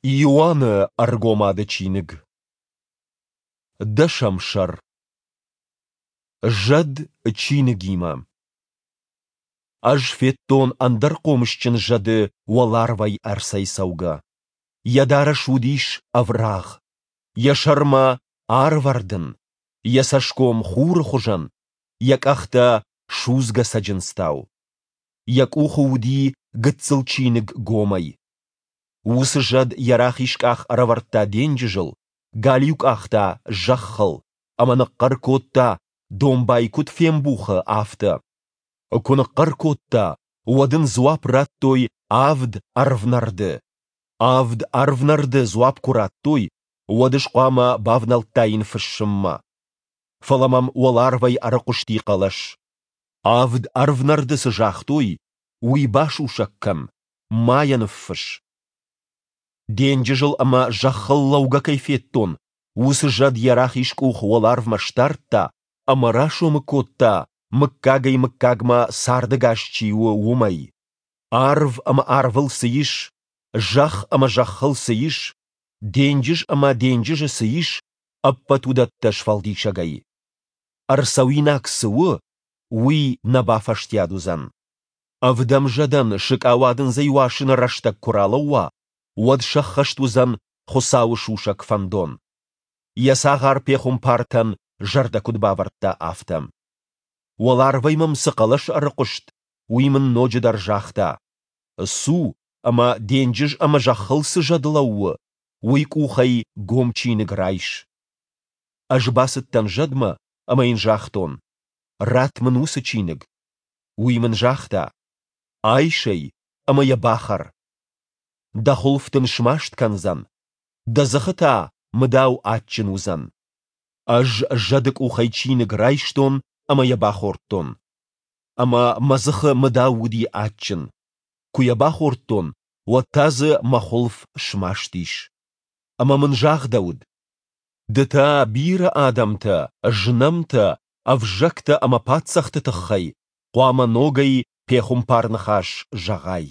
Иоанны Ӕргомады чиныг. Дӕсӕм сӕр. Зӕд чиныгимӕ. Ӕз федтон ӕндӕр хъомысджын зӕды уӕларвӕй ӕрцӕйцӕугӕ. Йӕ дарӕс уыдис ӕврагъ, йӕ сӕрмӕ арвӕрдын, йӕ цӕсгом хуры хуызӕн, йӕ къӕхтӕ судзгӕ цӕджындзтау. Йӕ къухы уыди гыццыл чиныг гомӕй. Уыцы зӕд йӕ рахиз къах ӕрӕвӕрдта денджызыл, галиу къах та зӕххыл, ӕмӕ ныхъхъӕр кодта, домбай куыд фембухы, афтӕ. Куы ныхъхъӕр кодта, уӕд ын дзуапп радтой авд ӕрвнӕрды. Авд ӕрвнӕрды дзуапп куы радтой, уӕд ӕз хъуамӕ бавнӕлдтаин фыссынмӕ. Фӕлӕ мӕм уӕларвӕй ӕрыхъуысти хъӕлӕс. Авд ӕрвнӕрды цы загътой, уый басусӕг кӕн, ма йӕ ныффысс. Денджызыл ӕмӕ зӕххыл лӕугӕ кӕй федтон, уыцы зӕд йӕ рахиз къух уӕларвмӕ сдардта ӕмӕ расомы кодта, мыггагӕй-мыггагмӕ цардӕгас чи у, уымӕй. Арв ӕмӕ арвыл цы ис, зӕхх ӕмӕ зӕххыл цы ис, денджыз ӕмӕ денджызы цы ис, ӕппӕт уыдӕттӕ сфӕлдисӕгӕй. Ӕрцӕуинаг цы у, уый нӕ бафӕстиат уыдзӕн. Ӕвдӕм зӕдӕн сыкъауадындзӕй уасыны рӕстӕг куы ралӕууа, уӕд сӕххӕст уыдзӕн Хуыцауы сусӕг фӕндон. Йӕ цагъар пехуымпартӕн зӕрдӕ куыд бавӕрдта, афтӕ. Уӕларвӕй мӕм цы хъӕлӕс ӕрыхъуыст, уый мын ноджыдӕр загъта: Цу, ӕмӕ денджыз ӕмӕ зӕххыл цы зӕд лӕууы, уый къухӕй гом чиныг райс. Ӕз бацыдтӕн зӕдмӕ ӕмӕ йын загътон: Ратт мын уыцы чиныг. Уый мын загъта: Айс ӕй ӕмӕ йӕ бахӕр. Дӕ хуылф дын смаст кӕндзӕн, дӕ дзыхы та мыдау адджын уыдзӕн. Ӕз зӕды къухӕй чиныг райстон ӕмӕ йӕ бахордтон. Ӕмӕ мӕ дзыхы мыдау уыди адджын. Куы йӕ бахордтон, уӕд та дзы мӕ хуылф смаст ис. Ӕмӕ мын загъдӕуыд: Ды та бирӕ адӕмтӕ, знӕмтӕ, ӕвзӕгтӕ ӕмӕ паддзӕхты тыххӕй хъуамӕ ногӕй пехуымпар-ныхас зӕгъай.